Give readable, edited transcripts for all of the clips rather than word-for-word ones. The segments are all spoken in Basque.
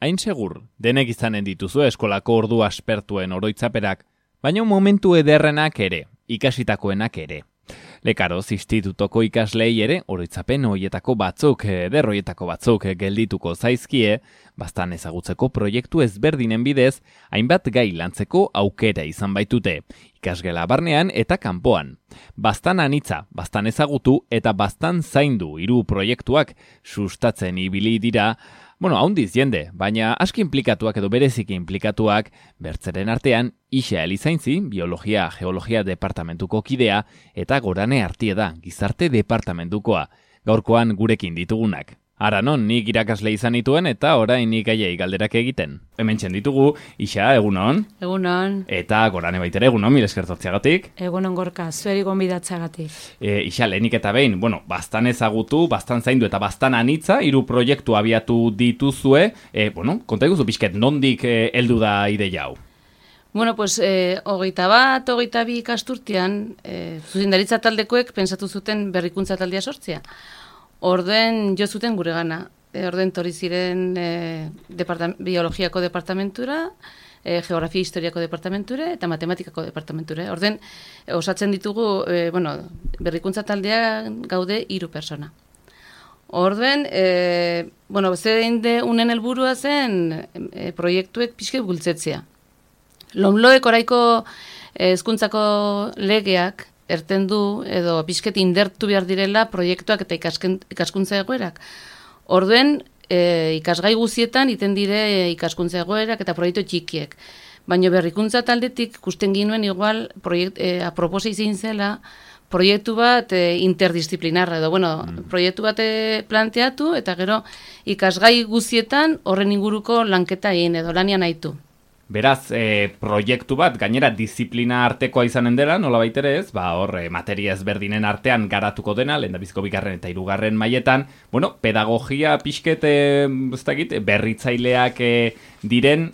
Hain segur, denek izanen dituzu eskolako ordu aspertuen oroitzaperak, baina momentu ederrenak ere, ikasitakoenak ere. Lekaroz institutoko ikaslei ere oroitzapen horietako batzuk, ederroietako batzuk geldituko zaizkie, bastan ezagutzeko proiektu ezberdinen bidez, hainbat gai lantzeko aukera izan baitute, ikasgela barnean eta kanpoan. Bastan anitza, bastan ezagutu eta bastan zaindu hiru proiektuak sustatzen ibili dira, haundiz jende, baina aski inplikatuak edo bereziki inplikatuak, bertzeren artean, Ixa Elizaintzi, Biologia Geologia Departamentuko kidea, eta Gorane Artieda, Gizarte Departamentukoa, gaurkoan gurekin ditugunak. Ara non, nik irakasle izan nituen eta orain nik aiei galderak egiten. Hementxen ditugu, Ixa, egunon? Egunon. Eta Gorane baitere, egunon, mil eskertotziagatik. Egunon Gorka, zueri gonbidatzeagatik. Ixa, lehenik eta behin, bastan ezagutu, bastan zaindu eta bastan anitza, hiru proiektu abiatu dituzue, konta iguzu pixket, nondik heldu da ideia hau? Hogeita bi ikasturtean, zuzendaritza taldekoek pensatu zuten berrikuntza taldea sortzea. Orden jo zuten gure gana. Orden torri ziren biologiako departamentura, geografia historiako departamentura eta matematikako departamentura. Orden osatzen ditugu, berrikuntza taldea gaude 3 persona. Orden, zein de unen helburua zen proiektuek pixke bultzetzea. Lomloek oraiko hezkuntzako legeak erten du edo pixket indertu behar direla proiektuak eta ikaskuntza egoerak. Orduen, ikasgai guzietan iten dire ikaskuntza egoerak eta proiektu txikiek. Baina berrikuntza taldetik ikusten ginuen igual aproposa izin zela proiektu bat interdisciplinarra edo, proiektu bat planteatu eta gero ikasgai guzietan horren inguruko lanketa egin edo lanian aitu. Beraz, proiektu bat, gainera disiplina artekoa izanen dela, nola baitere ez, materia ezberdinen artean garatuko dena, lehendabiziko 2. eta 3. mailetan, pedagogia pixket, berritzaileak diren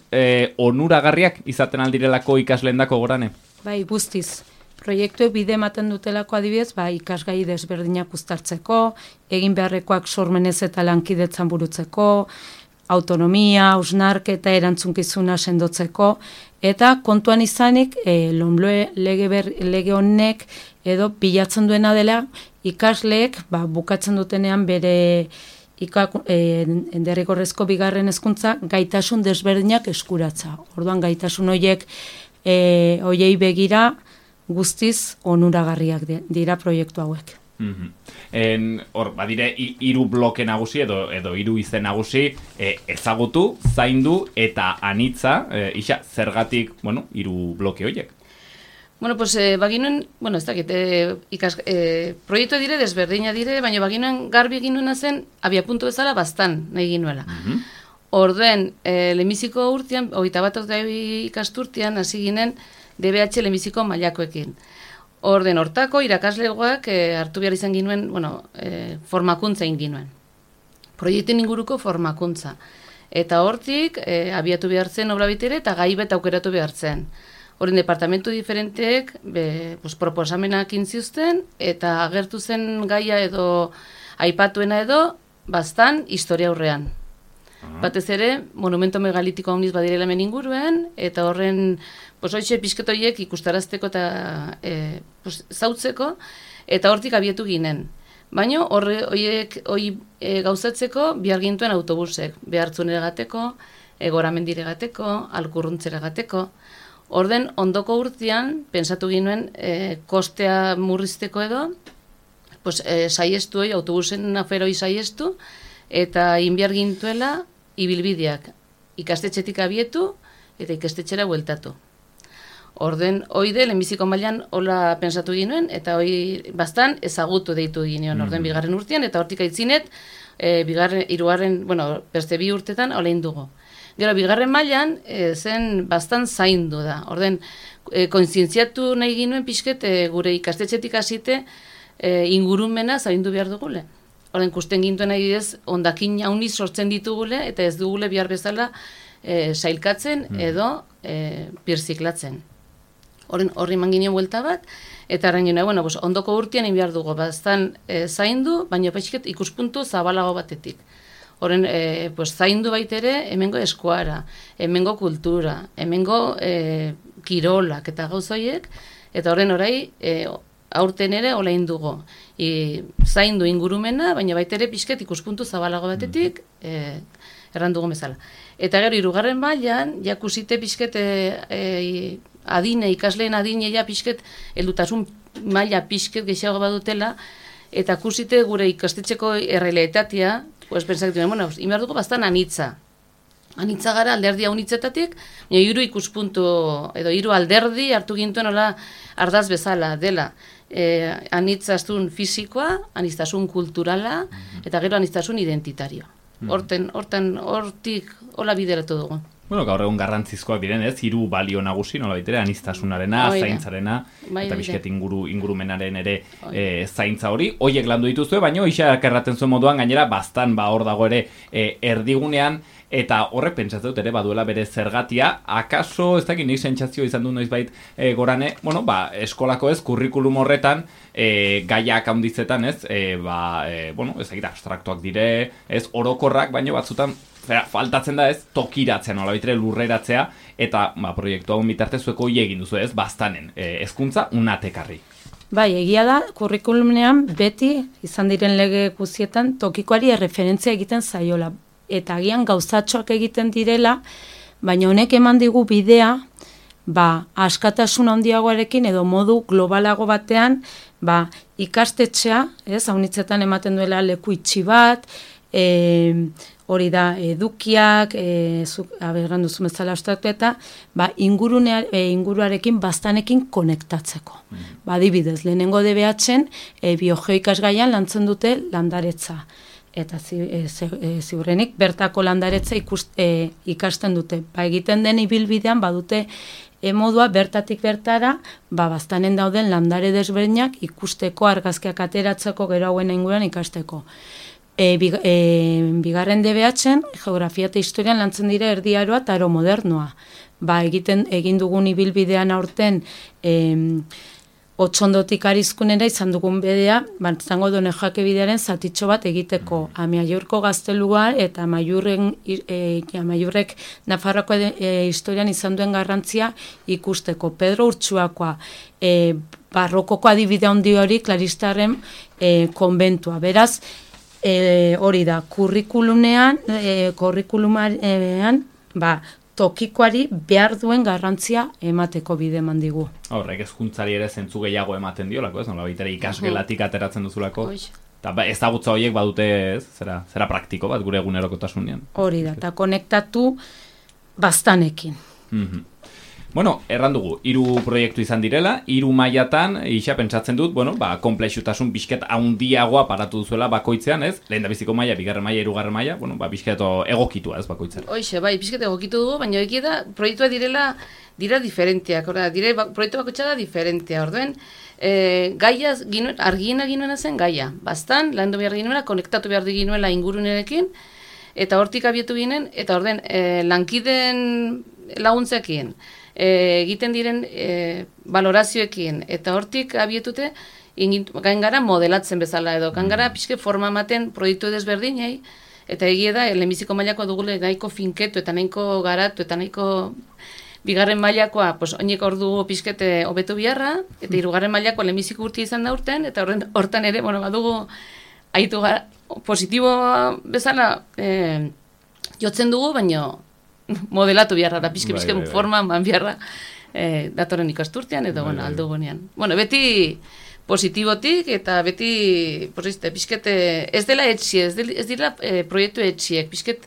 onuragarriak izaten aldirelako ikasleendako Gorane? Bai, guztiz. Proiektuek bide ematen dutelako adibidez, ikasgai desberdinak uztartzeko, egin beharrekoak sormenez eta lankidetzan burutzeko, autonomia, hausnarketa erantzunkizuna sendotzeko, eta kontuan izanik, Lomloe lege honek edo bilatzen duena dela, ikasleek bukatzen dutenean bere derrigorrezko 2. hezkuntza gaitasun desberdinak eskuratza. Orduan gaitasun horiei begira guztiz onuragarriak dira proiektu hauek. Badire 3 bloke nagusi edo 3 izen nagusi, ezagutu, zaindu eta anitza, Ixa, zergatik, 3 bloke horiek? Baginuen, ez dakit, proiektu dire, desberdina dire, baina baginuen garbi eginuena zen, abiapuntu bezala bastan nahi ginuela. Orduen, lehenbiziko urtean, 21 ikasturtean, hasi ginen DBH lehenbiziko mailakoekin. Orden hortako irakaslegoak hartu behar izan ginuen, formakuntza egin ginuen. Proiektuen inguruko formakuntza. Eta hortik, abiatu behar zen obra bitere eta gai bet aukeratu behar zen. Horren departamentu diferenteek proposamenak intziuzten eta agertu zen gaia edo aipatuena edo bastan historia aurrean. Batez ere, monumento megalitiko handiz badirela hemen inguruen, eta horren hoitxe pixketoiek ikustarazteko eta zautzeko, eta hortik abietu ginen. Baina horiek gauzatzeko behar gintuen autobusek, behartzunera gateko, Goramendire gateko, Alkurruntzera gateko. Orden ondoko urtean, pensatu ginen kostea murrizteko edo, saiestu autobusen aferoi saiestu, eta inbiar gintuela ibilbideak ikastetxetik abietu eta ikastetxera bueltatu. Orden, hoide, lehenbiziko mailan hola pensatu ginen, eta bastan ezagutu deitu ginen, orden 2. urtean, eta hortik aitzinet, 3. beste 2 urtetan olein dugu. Gero, 2. mailan zen bastan zaindu da. Orden, kontzientziatu nahi ginen pixket gure ikastetxetik hasite ingurumena zaindu behar dugule. Orden, kusten gintuen adibidez, ondakin hauniz sortzen ditugule, eta ez dugule behar bezala sailkatzen edo birziklatzen. Horri manginio buelta bat, eta arren gina, ondoko urtean behar dugu, bastan zaindu, baina peixket ikuspuntu zabalago batetik. Horren, pues, zaindu baitere, hemengo eskuara, hemengo kultura, hemengo kirolak eta gauzoiek, eta horren orai, aurten ere olain dugu. Zaindu ingurumena, baina baitere pixket ikuspuntu zabalago batetik, errandugu bezala. Eta gero, 3. mailan, jakusite pixket ikasleen adine ja pixket, heldutasun maila pixket gehiago badutela, eta kusite gure ikastetxeko errealitatea, pues pensak duen, bueno, inbar dugu bastan anitza. Anitza gara alderdia unitzetatik, baina 3 ikuspuntu, edo 3 alderdi hartu gintuen hola ardaz bezala dela. Anitztasun fisikoa, anitztasun kulturala, eta gero anitztasun identitario. Hortik hola bideratu dugu. Bueno, gaur egun garrantzizkoak diren, 3 balio nagusi, nola baitere, aniztasunarena, zaintzarena, eta bizket ingurumenaren ere zaintza hori. Hoiek landu dituzue, baina Ixak erraten zuen moduan, gainera, bastan hor dago ere erdigunean, eta horrek pentsatzen dut ere baduela bere zergatia, akaso, ez dakit nik sentsazio izan du noizbait Gorane, bueno, eskolako kurrikulum horretan, gaiak handizetan, bueno, ez dakit abstraktuak dire, orokorrak, baina batzutan, faltatzen da tokiratzea, nola baitere lurreratzea, eta proiektu hau bitartez zueko egin duzu bastanen, hezkuntza unatekarri. Bai, egia da, kurrikulumean beti, izan diren lege guztietan, tokikoari erreferentzia egiten zaiola. Eta agian gauzatxoak egiten direla, baina honek eman digu bidea, askatasun handiagoarekin edo modu globalago batean, ikastetxea, haunitzetan ematen duela leku itxi bat, hori da edukiak, aberran duzu bezala ostatu eta, inguruarekin bastanekin konektatzeko. Adibidez, lehenengo DBH-en biogeoikasgaian lantzen dute landaretza. Eta ziurrenik bertako landaretza ikasten dute. Egiten den ibilbidean badute modua bertatik bertara, bastanen dauden landare desberdinak ikusteko, argazkiak ateratzeko, gero hauen inguruan ikasteko. Bigarren DBH-en, geografia eta historian lantzen dira erdiaroa eta aro modernoa. Egin dugun ibilbidean aurten Otsondotik Arizkunera izan dugun bedea, zango Done Jake bidearen zatitxo bat egiteko Amaiurko gaztelua eta Amaiurrek Nafarroako historian izan duen garrantzia ikusteko. Pedro Urtsuakoa, barrokoko adibide handi hori Klaristarren konbentua. Beraz, hori da, kurrikulumean, tokikoari behar duen garrantzia emateko bide eman digu. Horrek hezkuntzari ere zentzu gehiago ematen diolako, ez? Nola baitere ikasgelatik ateratzen duzulako. Eta ezagutza horiek badute, zera praktiko bat gure egunerokotasunean. Hori da, eta konektatu bastanekin. Bueno, erran dugu, 3 proiektu izan direla, 3 mailatan, Ixa pentsatzen dut, konplexutasun pixket handiagoa paratu duzuela bakoitzean, ez? Lehendabiziko maila, 2. maila, 3. maila, pixket egokitua, ez bakoitzera. Hoxe, pixket egokitu dugu, baina egia da, proiektua dira diferenteak, proiektu bakoitza da diferentea, orduen, gaia, argiena ginoena zen gaia, bastan, landu behar ginoela, konektatu behar ginoela ingurunerekin, eta hortik abietu ginen, eta orden, lankiden laguntzekin, egiten diren valorazioekin, eta hortik abietute gain gara modelatzen bezala edo, gain gara pixke forma ematen proiektu desberdinei, eta egia da, lehenbiziko mailakoa dugule nahiko finketu eta nahiko garatu eta nahiko 2. mailakoa, oinek ordu pixkete hobetu biharra, eta 3. mailakoa lehenbiziko urti izan da urten, eta hortan ere, badugu aitu gara, positibo bezala jotzen dugu, baina modelatu biharra da, pixke forma man biharra datoren ikasturtean edo aldo gunean. Beti positibotik eta beti pixkete ez dela etxi, ez dira proiektu etxiek, pixket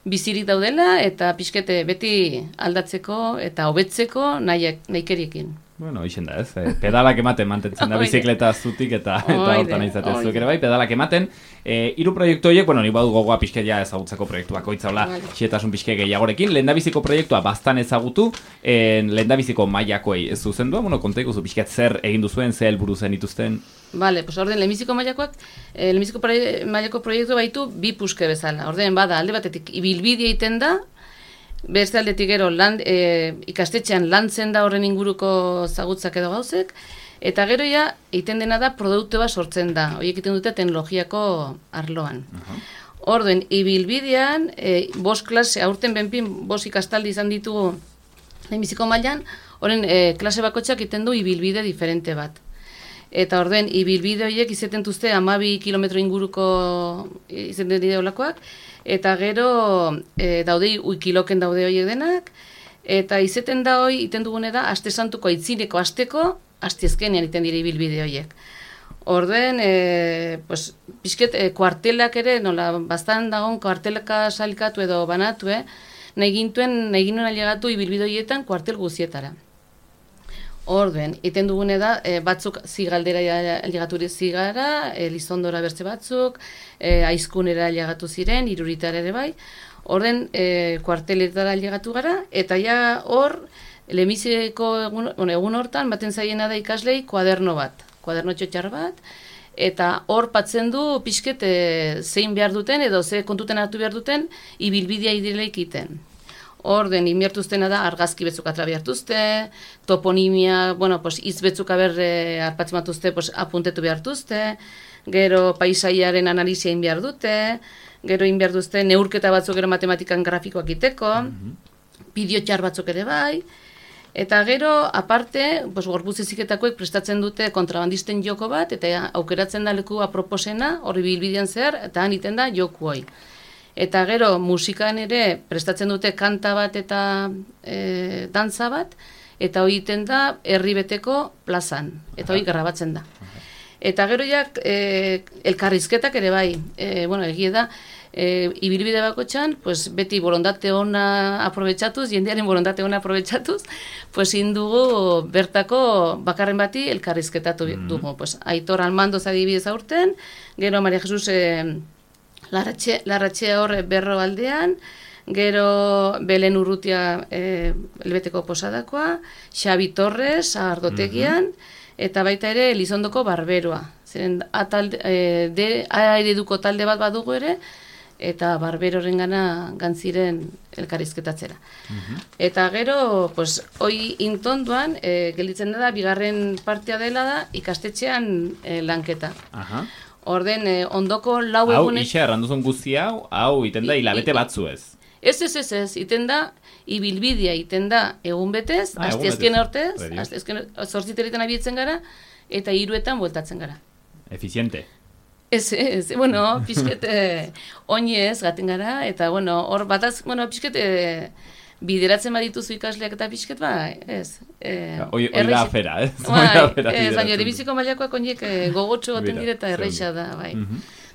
bizirik daudela eta pixkete beti aldatzeko eta hobetzeko nahikeriekin. Bueno, hoxen da, ez? Pedalak ematen mantentzen da bizikleta zutik eta hortan izaten zuek ere pedalak ematen. 3 proiektu horiek, nik badu gogoa pixke ja ezagutzeko proiektu bakoitza hola, xietasun pixke gehiagorekin. Lehendabiziko proiektua bastan ezagutu, lehendabiziko mailakoei ez zuzendua, kontaiko zu pixket zer egin duzuen, zer helburu zen dituzten? Bale, orden lehenbiziko mailakoak, lehenbiziko mailako proiektu baitu 2 puske bezala. Orden bada, alde batetik ibilbidea egiten da, beste aldetik gero ikastetxean lantzen da horren inguruko zagutzak edo gauzek, eta gero egiten dena da produktu bat sortzen da, horiek egiten dute teknologiako arloan. Orduen, ibilbidean, 5 klase, aurten benpin 5 ikastaldi izan ditugu lehenbiziko mailan, horren klase bakotxak iten du ibilbide diferente bat. Eta orduen, ibilbide horiek izaten duzte 12 kilometro inguruko izaten dira olakoak, eta gero daude, uikiloken daude horiek denak, eta izaten da hori, iten dugune da, aste santuko aitzineko asteko, astiezkenean iten dira ibilbide horiek. Orduen, pues, pixket, kuartelak ere, nola, bastan dagoen kuartelaka salikatu edo banatu, nahi ginen ailegatu ibilbide horietan kuartel guzietara. Orduen, iten dugune da, batzuk zigaldera ailegatu zigara, Lizondora bertze batzuk, Aizkunera ailegatu ziren, Iruritara ere bai. Orduen, kuarteletara ailegatu gara, eta ja hor, lehenbiziko egun hortan, baten zaiena da ikaslei kuaderno bat. Kuaderno txotxar bat, eta hor patzen du pixket zein behar duten edo ze kontuten hartu behar duten ibilbidea idileik iten. Orden, inbiertuztena da argazki betzuk atrabiartuzte, toponimia, pues, hitz betzuk arpatzen batuzte, pues, apuntetu behartuzte, gero paisaiaren analizia behar dute, gero behar duzte neurketa batzuk gero matematikan grafikoak iteko, bideo txar batzuk ere bai, eta gero, aparte, gorputz heziketakoek prestatzen dute kontrabandisten joko bat, eta aukeratzen da leku aproposena, hori bilbidean zehar, eta han iten da joku hoi. Eta gero, musikan ere prestatzen dute kanta bat eta dantza bat, eta hori iten da herri beteko plazan, eta hori grabatzen da. Eta gero jak, elkarrizketak ere bai, egie da, ibilbide bakotxan, pues, beti borondate ona aprobetxatuz, jendearen borondate ona aprobetxatuz, pues, indugu bertako bakarren bati elkarrizketatu dugu. Pues, Aitor Almandoz adibidez aurten, gero Maria Jesus Larratxea hor Berro aldean, gero Belen Urrutia elbeteko posadakoa, Xabi Torres Ardotegian, eta baita ere Elizondoko Barberoa. Zeren ereduko talde bat badugu ere, eta Barberoren gantziren elkarrizketatzera. Eta gero, pues, hoi intonduan, gelditzen da, bigarren partea dela da, ikastetxean lanketa. Orden, ondoko lau egunek... Hau, ixe, erranduzun guzti hau, iten da hilabete batzu ez. Ez, iten da, ibilbidea iten da egun betez, astiazken hortez, zortziterritan abietzen gara, eta 3etan bueltatzen gara. Eficiente. Ez, pixket oinez gaten gara, eta, hor bataz, pixket bideratzen badituzu ikasleak eta pixket, ez. Hoi da afera, ez? Ez, baina erebiziko mailakoak oinek gogotxo goten dire eta erreixa da, bai.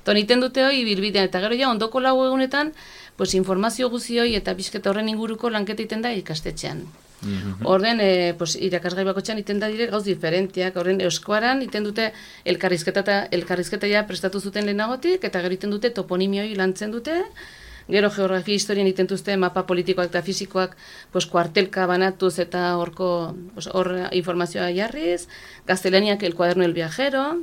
Toniten dute hoi bilbidean, eta gero ja, ondoko lau egunetan, pues, informazio guzioi eta pixket horren inguruko lanketa iten da ikastetxean. Orden, irakasgai bakotxean iten da dire gauz diferentiak, horren euskoaran iten dute elkarrizketa ja prestatu zuten lehenagotik, eta gero iten dute toponimioi lantzen dute, gero geografia historian iten duzte mapa politikoak eta fisikoak kuartelka banatuz eta hor informazioa jarriz, gaztelaniak el cuaderno del viajero,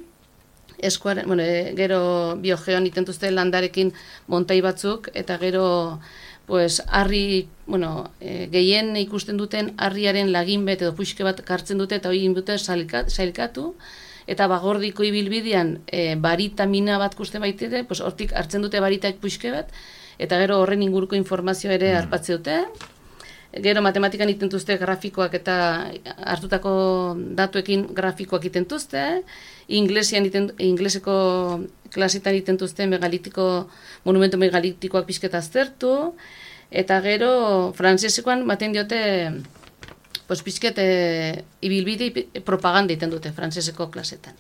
gero biogeon iten duzte landarekin montai batzuk, eta gero harri, gehien ikusten duten harriaren lagin bet edo puxke bat kartzen dute eta hori dute sailkatu, eta bagordiko ibilbidean baritamina bat kusten baitire, hortik hartzen dute baritak puxke bat, eta gero horren inguruko informazioa ere harpatze dute. Gero matematikan itentuzte grafikoak eta hartutako datuekin grafikoak itentuzte, ingleseko klasetan itentuzte monumentu megalitikoak pixketa aztertu, eta gero frantsesekoan maten diote pixket ibilbide propaganda itendute frantseseko klasetan.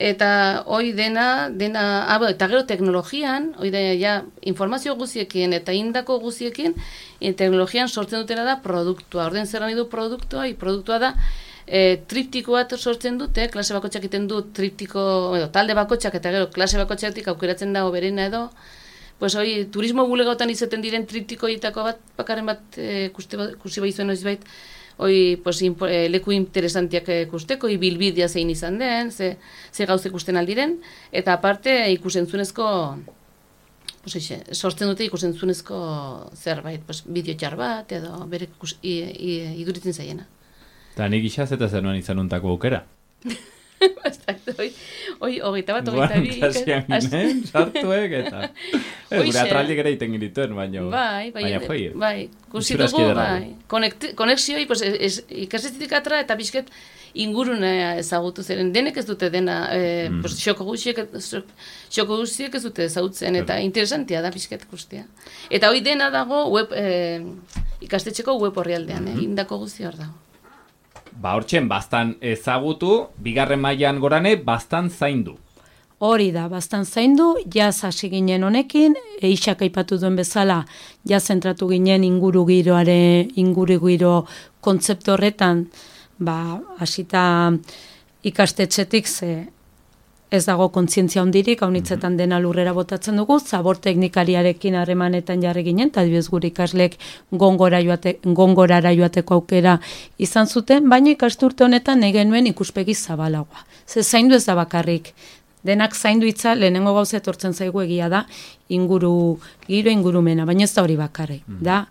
Eta hoi dena, eta gero teknologian, hoi da, ja, informazio guziekin eta indako guziekin, teknologian sortzen dutena da produktua. Orden zer nahi du produktua, produktua da, triptiko bat sortzen dute, klase bakotxak iten du triptiko, talde bakotxak eta gero klase bakotxatik aukeratzen da oberena edo, pues hoi, turismo bulegotan izaten diren triptikoitako bat, bakarren bat, kursi bai zuen oizbait, hoi, leku interesantiak ikusteko, ibilbidea zein izan den, ze gauze ikusten aldiren, eta aparte ikusentzunezko, sortzen dute ikusentzunezko zerbait, bideo txar bat, edo bere iduritzen zaiena. Eta nik isaz eta zer nuen izanuntako aukera? Hogeita bat, hogeita bi. Kasian ginen, sartuek, eta... Gure atraldik ere iten gintuen, baina... Bai, kursi dugu, bai. Konexioi, ikastetxetik atra eta bizket ingurunea ezagutu zeren. Denek ez dute dena, xoko guztiek ez dute ezagutzen, eta interesantia da bizket guztia. Eta hoi dena dago ikastetxeko web horrialdean, indako guzti hor dago. Ba, hortxen, bastan ezagutu, bigarren mailan gorane, bastan zaindu. Hori da, bastan zaindu, jaz hasi ginen honekin, Eixak aipatu duen bezala, jaz zentratu ginen inguru giro kontzeptu horretan, hasita ikastetxetik ez dago kontzientzia hondirik, haunitzetan dena lurrera botatzen dugu, zabor teknikariarekin harremanetan jarri ginen, eta adibidez gure ikaslek gongorara joateko aukera izan zuten, baina ikasturte honetan nahi genuen ikuspegi zabalagoa. Zaindu ez da bakarrik, denak zaindu hitza lehenengo gauza etortzen zaigu egia da ingurumena, baina ez da hori bakarrik, da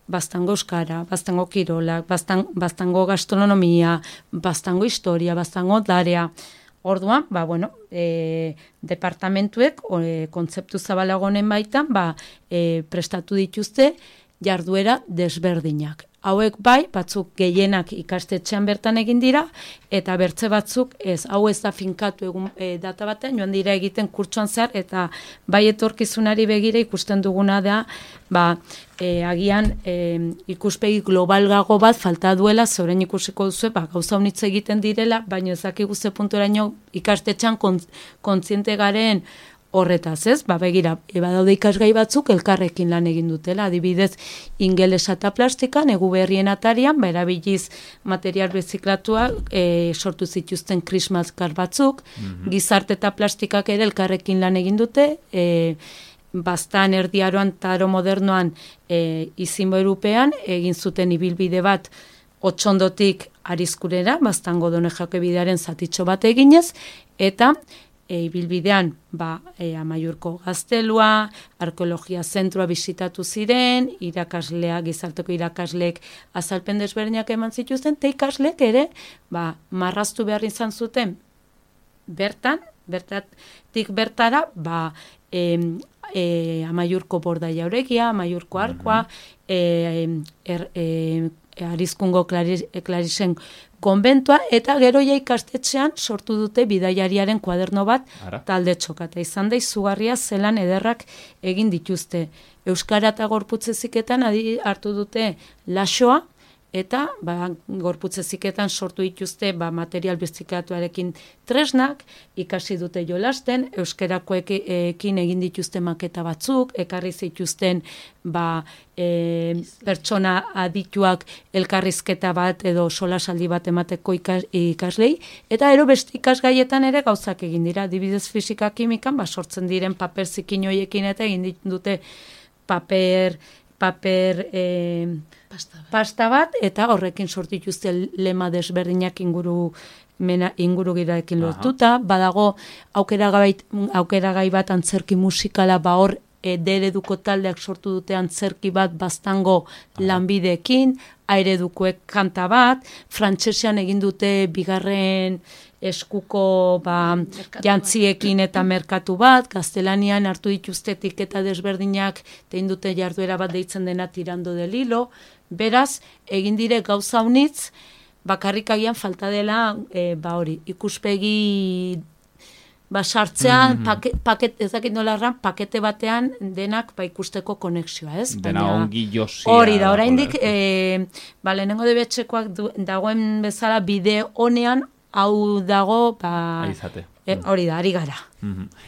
bastango euskara, bastango kirolak, bastango gastronomia, bastango historia, bastango darea. Orduan, departamentuek kontzeptu zabalagonen baitan prestatu dituzte jarduera desberdinak. Hauek batzuk gehienak ikastetxean bertan egin dira, eta bertze batzuk hau ez da finkatu egun data batean, joan dira egiten kurtsuan zehar, eta etorkizunari begira ikusten duguna da, agian ikuspegi globalgago bat falta duela, zeuren ikusiko duzu, gauza honitz egiten direla, baina ezakigu ze punturaino ikastetxean kontziente garen horretaz, ez? Begira, badaude ikasgai batzuk elkarrekin lan egin dutela, adibidez ingelesa eta plastika, negu berrien atarian, erabiliz material beziklatua sortu zituzten krismaskar batzuk, gizarte eta plastikak ere elkarrekin lan egin dute, bastan erdiaroan eta aro modernoan izinbo erupean, egin zuten ibilbide bat Otxondotik Arizkurera, bastango Donejako bidearen zatitxo bat eginez, eta ibilbidean Amaiurko gaztelua, arkeologia zentroa bisitatu ziren, gizarteko irakasleek azalpen desberdinak eman zituzten, eta ikaslek ere marraztu behar izan zuten bertatik bertara Amaiurko borda jauregia, Amaiurko arkoa, Arizkungo Klarisen konbentua, eta gero ikastetxean sortu dute bidaiariaren kuaderno bat talde txokata. Izan da izugarria zelan ederrak egin dituzte. Euskara eta gorputzeziketan hartu dute laxoa, eta gorputzeziketan sortu dituzte material bizikatuarekin tresnak, ikasi dute jolasten, euskarakoekin egin dituzte maketa batzuk, ekarri zituzten pertsona adituak elkarrizketa bat edo solasaldi bat emateko ikaslei, eta ero beste ikasgaietan ere gauzak egin dira, adibidez fisika kimikan, sortzen diren paper zikin hoiekin eta egin dute paper pasta bat, eta horrekin sortituzte lema desberdinak inguru giraekin lortuta, badago aukeragai bat antzerki musikala, hor dereduko taldeak sortu dute antzerki bat bastango lanbideekin, airedukoek kanta bat, frantsesean egin dute bigarren eskuko jantziekin eta merkatu bat, gaztelanian hartu dituzte etiketa desberdinak, egin dute jarduera bat deitzen dena tirando del hilo, beraz, egin dire gauza unitz, bakarrik agian falta dela, ikuspegi sartzean, ez dakit nola pakete batean denak ikusteko konexioa, ez? Dena ongi josia. Hori da, oraindik, lehenengo debetxekoak dagoen bezala bide honean, hau dago, hori da, ari gara.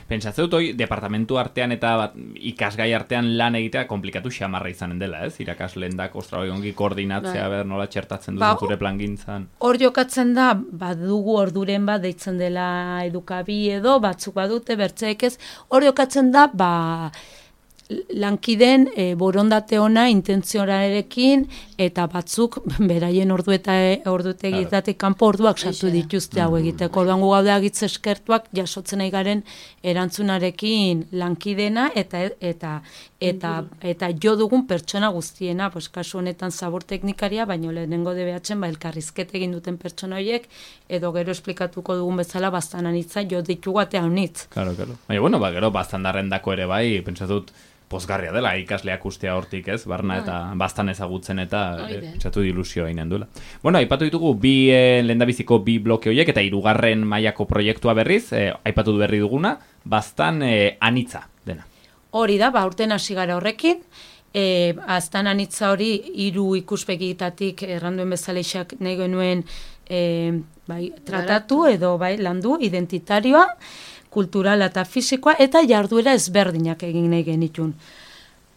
Pentsatzen dut, departamentu artean eta ikasgai artean lan egitea komplikatu xamarra izanen dela, ez? Irakasleen da, ongi koordinatzea, nola txertatzen duzu zure plangintzan. Hor jokatzen da, dugu orduren bat deitzen dela edukabi edo, batzuk badute, bertzeek ez, hor jokatzen da, lankideen borondate ona intentzionarekin eta batzuk beraien ordutegietatik kanpo orduak sartu dituzte hau egiteko. Orduan gu gaude agitze eskertuak jasotzen nahi garen erantzunarekin lankidena eta jo dugun pertsona guztiena, pues kasu honetan zabor teknikaria, baino lehenengo DBH-en elkarrizketa egin duten pertsona horiek edo gero esplikatuko dugun bezala bastan anitza jo ditugu atea honitz. Claro. Baina, bueno, gero bastandarrendako ere bai, pentsatut pozgarria dela ikasleak ustea hortik, ez? Barna eta bastan ezagutzen eta pentsatu ilusioa inen duela. Bueno, aipatu ditugu lehendabiziko bi bloke horiek eta 3. mailako proiektua berriz, aipatu berri duguna, bastan anitza dena. Hori da, urten hasi gara horrekin, bastan anitza hori 3 ikuspegitatik erranduen bezaleixak nahi genuen tratatu edo landu identitarioa, kulturala eta fisikoa, eta jarduera ezberdinak egin nahi genitun.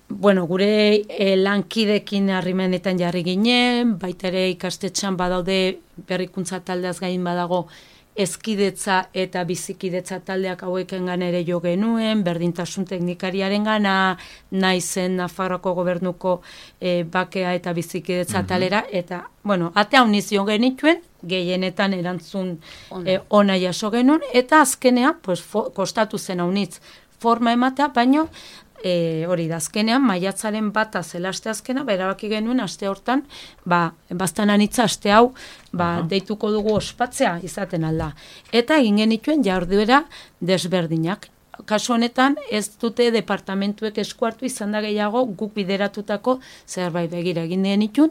Bueno, gure lankidekin harrimenetan jarri ginen, baita ere ikastetxan badaude berrikuntza taldeaz gain badago ezkidetza eta bizikidetza taldeak hauekengan ere jo genuen, berdintasun teknikariaren gana, naizen Nafarroako gobernuko bakea eta bizikidetza talera, eta, bueno, ate hauniz jo genituen, gehienetan erantzun ona jaso genuen, eta azkenean, pues, kostatu zen haunitz forma ematea, baino, hori da, azkenean, maiatzaren bata zela aste azkena, erabaki genuen aste hortan, bastan anitza aste hau, deituko dugu ospatzea izaten alda. Eta egin genituen jarduera desberdinak. Kasu honetan, ez dute departamentuek eskuartu izan da gehiago guk bideratutako zerbait begira egin genitun,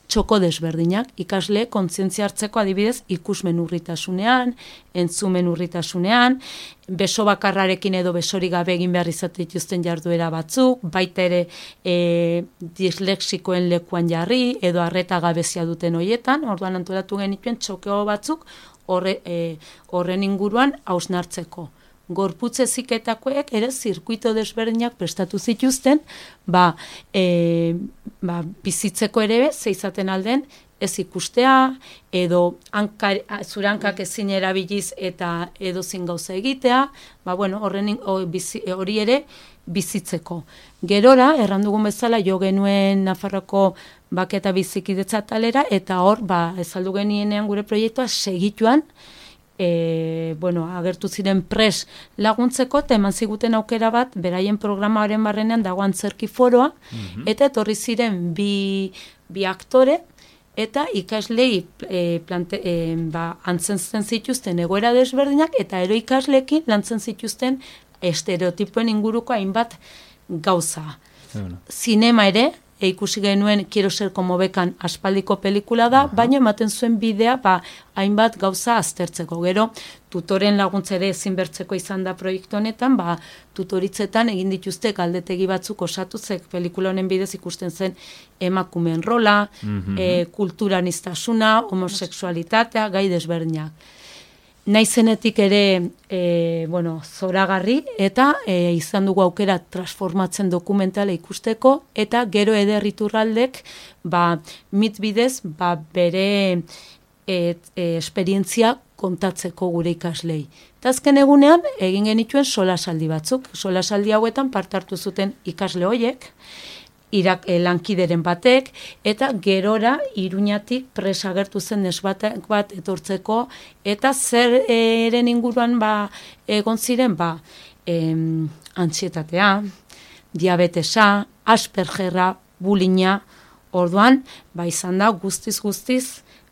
txoko desberdinak, ikasle kontzientzia hartzeko adibidez ikusmen urritasunean, entzumen urritasunean, beso bakarrarekin edo besorik gabe egin behar izate dituzten jarduera batzuk, baita ere dislexikoen lekuan jarri edo arreta gabezia duten hoietan, orduan antolatu genituen txokeo batzuk horren inguruan hausnartzeko. Gorputz heziketakoek ere zirkuito desberdinak prestatu zituzten, bizitzeko ere ze izaten alden ez ikustea, edo zure hankak ezin erabiliz eta edozin gauza egitea, hori ere bizitzeko. Gerora, errandugun bezala, jo genuen Nafarroko bake eta bizikidetza talera, eta hor, ezaldu genienean gure proiektua segituan, agertu ziren pres laguntzeko, eta eman ziguten aukera bat, beraien programaren barrenean dago antzerki foroa, eta etorri ziren bi aktore, eta ikaslei antzen zituzten egoera desberdinak, eta ero ikaslekin lantzen zituzten estereotipoen inguruko hainbat gauza. Zinema ere, ikusi genuen Quiero ser como Bekan aspaldiko pelikula da, baina ematen zuen bidea hainbat gauza aztertzeko. Gero, tutoren laguntza ere ezinbertzeko izan da proiektu honetan, tutoritzetan egin dituzte galdetegi batzuk osatuzek pelikula honen bidez ikusten zen emakumeen rola, kulturaniztasuna, homosexualitatea, gai desberdinak. Naizenetik ere, zoragarri, eta izan dugu aukera transformatzen dokumentala ikusteko, eta gero Eder Iturraldek, mit bidez, bere esperientzia kontatzeko gure ikaslei. Eta azken egunean, egin genituen solasaldi batzuk. Solasaldi hauetan parte hartu zuten ikasle hoiek, lankideren batek, eta gerora Iruñatik presa agertu zen nesbatek bat etortzeko, eta zer eren inguruan egon ziren, antsietatea, diabetesa, aspergerra, bulina, orduan, izan da guztiz,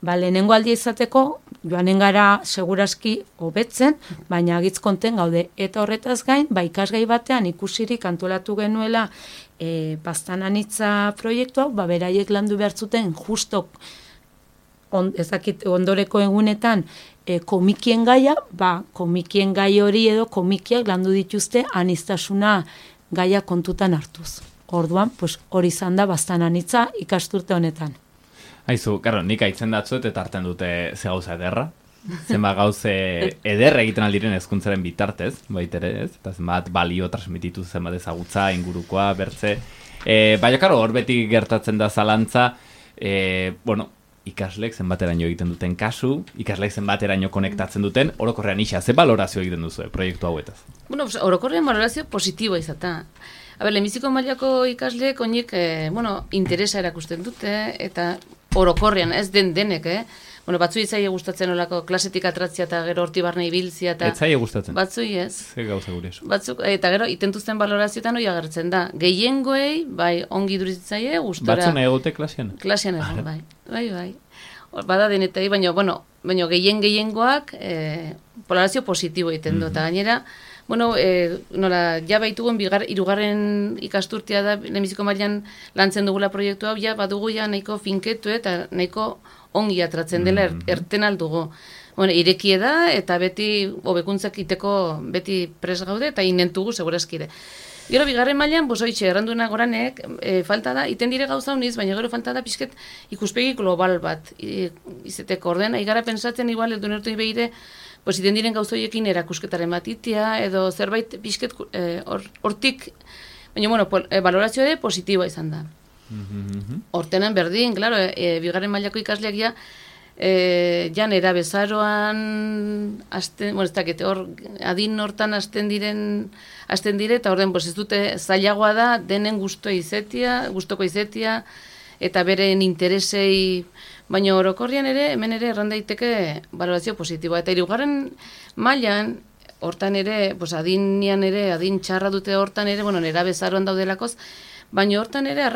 lehenengo aldia izateko, joanen gara seguraski hobetzen, baina agitz konten gaude. Eta horretaz gain, ikasgai batean ikusirik antolatu genuela bastan anitza proiektua, beraiek landu behar zuten justo ondoreko egunetan komikien gaia, komikien gai hori edo komikiak landu dituzte aniztasuna gaia kontutan hartuz. Orduan, hori izan da bastan anitza ikasturte honetan. Aizu, nik aitzen datzuet eta hartzen dute ze gauza ederra. Zenbat gauze ederra egiten aldiren hezkuntzaren bitartez, baitere ez, eta zenbat balio transmititu zenbat ezagutza, ingurukoa, bertze. Baina, hor beti gertatzen da zalantza, ikaslek zenbateraino egiten duten kasu, ikaslek zenbateraino konektatzen duten, orokorrean isa, ze balorazio egiten duzu proiektu hauetaz? Orokorrean balorazio positiboa izatea. lehenbiziko mailako ikasleek oinek, interesa erakusten dute, eta orokorrean, ez denek, batzu itzaile gustatzen olako klasetik atratzia eta gero horti barne ibiltzia. Ez zaile gustatzen? Batzui ez. Ze gauza gure eso. Batzuk, eta gero, itentuzten balorazioetan hori agertzen da. Gehiengoei, bai, ongi duritzaile, gustora. Batzuna egote klasean? Klasean egon, bai. Bada denetai, baina gehiengoak polarazio positibo egiten du, eta gainera, nola, ja baitugun hirugarren ikasturtea da, lehenbiziko mailan lantzen dugula proiektu hau, ja badugu ja nahiko finketu eta nahiko ongi atratzen dela erten aldugu. Irekie da, eta beti hobekuntzak iteko beti pres gaude, eta inentugu segurazkide. Gero, bigarren mailan, bosoitxe, erranduena goranek, falta da, iten dire gauza honiz, baina gero falta da pixket ikuspegi global bat. Izeteko ordena, igara pensatzen igual, edo nertu ibeire, iten diren gauzoiekin erakusketaren bat itia, edo zerbait pixket hortik, baina, balorazioa ere positiboa izan da. Hortenan berdin, klaro, bigarren mailako ikasleak ja, jan erabezaroan, adin hortan hasten dire, eta orden, ez dute zailagoa da, denen gustoko izetia, eta beren interesei, baina orokorrian ere, hemen ere erran daiteke balorazio positiboa. Eta hirugarren mailan, hortan ere, adin txarra dute hortan ere, erabezaroan daudelakoz, baina hortan ere,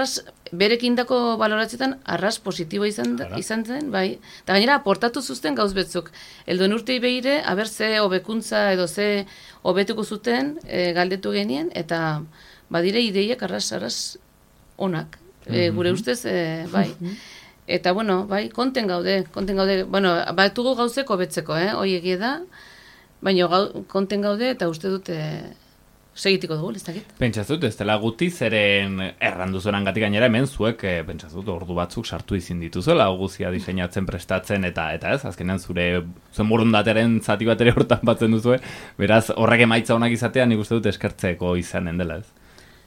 berekin dako baloratzietan, positiboa izan zen, bai. Eta gainera, aportatu zuzten gauz betzuk. Elduen urtei behire, aber ze hobekuntza edo ze hobetuko zuten galdetu genien, eta badire ideiak arras onak. Gure ustez, bai. Eta, bai, konten gaude. Batugu gauzeko hobetzeko, hoi egie da, baina konten gaude, eta uste dute segitiko dugu, ez dakit. Pentsatzut, ez dela guti zeren erranduzoran gatik gainera hemen zuek, pentsatzut, ordu batzuk sartu izin dituzuela, guzia diseinatzen, prestatzen, eta ez, azkenean zuen borondateren zati bat ere hortan batzen duzue, beraz, horrek emaitza honak izatea, nik uste dut eskertzeko izanen dela, ez?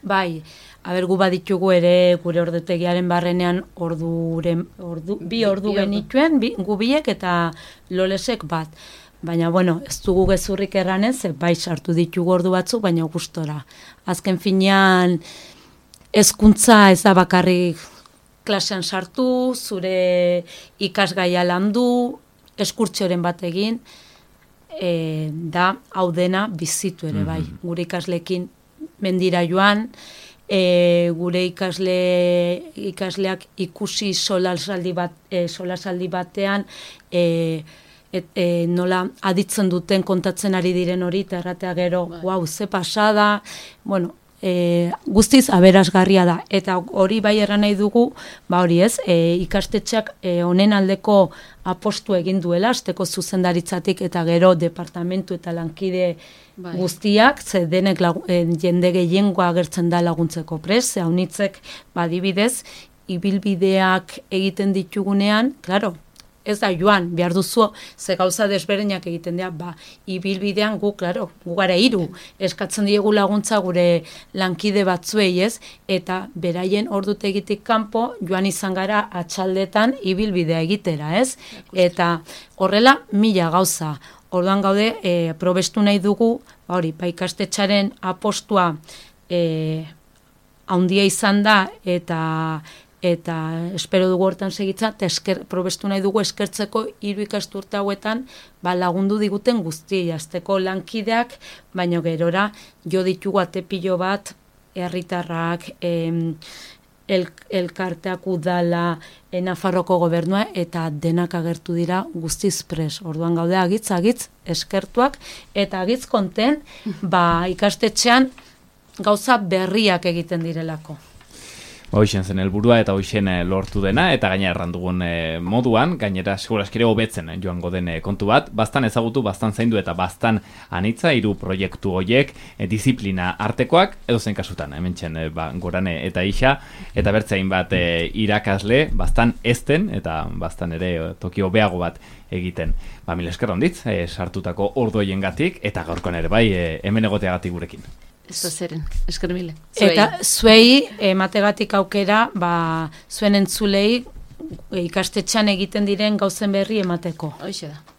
Bai, gu baditugu ere gure ordutegiaren barrenean bi ordu genituen, gu biek eta lolesek bat. Baina, ez dugu gezurrik erranez, bai sartu ditugu ordu batzuk, baina gustora. Azken finean, hezkuntza ez da bakarrik klasean sartu, zure ikasgaia landu, eskurtxoren bat egin, da hau dena bizitu ere, bai. Gure ikaslekin mendira joan, gure ikasleak ikusi solasaldi batean, nola aditzen duten kontatzen ari diren hori, eta erratea gero, ze pasada, guztiz aberasgarria da. Eta hori bai erran nahi dugu, hori ez, ikastetxeak honen aldeko apostu egin duela, azteko zuzendaritzatik eta gero departamentu eta lankide guztiak, ze denek jende gehiengoa agertzen da laguntzeko prest, ze haunitzek badibidez, ibilbideak egiten ditugunean, klaro, ez da joan, behar duzu, ze gauza desberdinak egiten dira, ibilbidean gu gara 3, eskatzen diegu laguntza gure lankide batzuei ez, eta beraien ordutegitik kanpo joan izan gara atxaldetan ibilbidea egitera ez, eta horrela 1000 gauza. Orduan gaude, probestu nahi dugu, ikastetxaren apostua handia izan da, eta espero dugu hortan segitza, eta probestu nahi dugu eskertzeko 3 ikasturte hauetan lagundu diguten guzti, azteko lankideak, baina gerora jo ditugu atepilo bat, herritarrak, elkarteak udala, Nafarroko gobernua, eta denak agertu dira guztiz pres. Orduan gaude agitz eskertuak, eta agitz konten, ikastetxean gauza berriak egiten direlako. Hoixen zen helburua eta hoixen lortu dena, eta gaina errandugun moduan, gainera seguraskire hobetzen joango den kontu bat, bastan ezagutu, bastan zaindu eta bastan anitza, 3 proiektu horiek, disiplina artekoak, edo zen kasutan, hementxen Gorane eta Ixa, eta bertzein bat irakasle, bastan ezten, eta bastan ere toki hobeago bat egiten. Mil esker onditz, sartutako ordu hoiengatik, eta gaurkoan ere bai, hemen egoteagatik gurekin. Ez da zeren, esker mile. Eta zuei emategatik aukera, zuen entzulei ikastetxean egiten diren gauzen berri emateko. Hoixe da.